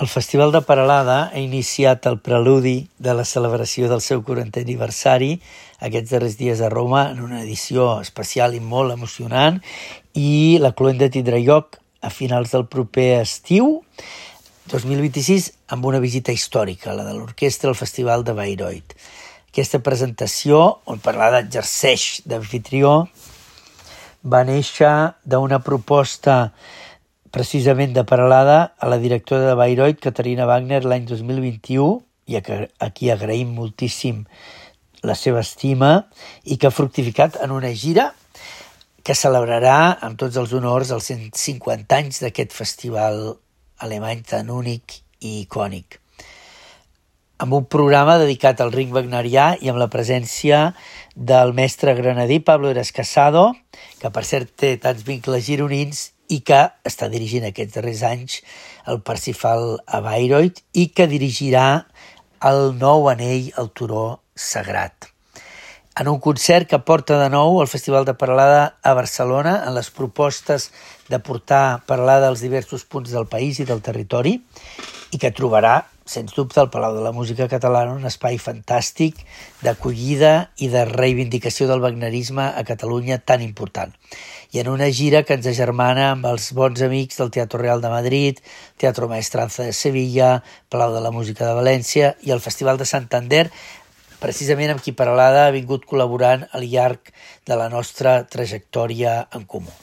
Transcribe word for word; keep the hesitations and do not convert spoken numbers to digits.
El Festival de Peralada ha iniciat el preludi de la celebració del seu quarantè aniversari aquests darrers dies a Roma en una edició especial i molt emocionant, i la cloenda tindrà lloc a finals del proper estiu dos mil vint-i-sis amb una visita històrica, la de l'orquestra al Festival de Bayreuth. Aquesta presentació, on Peralada exerceix d'amfitrió, va néixer d'una proposta precisament de Peralada a la directora de Bayreuth, Katharina Wagner, l'any dos mil vint-i-u, i a qui agraïm moltíssim la seva estima, i que ha fructificat en una gira que celebrarà amb tots els honors els cent cinquanta anys d'aquest festival alemany tan únic i icònic. Amb un programa dedicat al ring wagnerià i amb la presència del mestre granadí Pablo Eras Casado, que per cert té tants vincles gironins i que està dirigint aquests darrers anys el Parsifal a Bayreuth i que dirigirà el nou anell al turó sagrat. En un concert que porta de nou el Festival de Peralada a Barcelona en les propostes de portar Peralada als diversos punts del país i del territori, i que trobarà, sens dubte, al Palau de la Música Catalana un espai fantàstic d'acollida i de reivindicació del wagnerisme a Catalunya tan important. I en una gira que ens agermana amb els bons amics del Teatro Real de Madrid, Teatro Maestranza de Sevilla, Palau de la Música de València i el Festival de Santander, precisament amb qui Peralada ha vingut col·laborant al llarg de la nostra trajectòria en comú.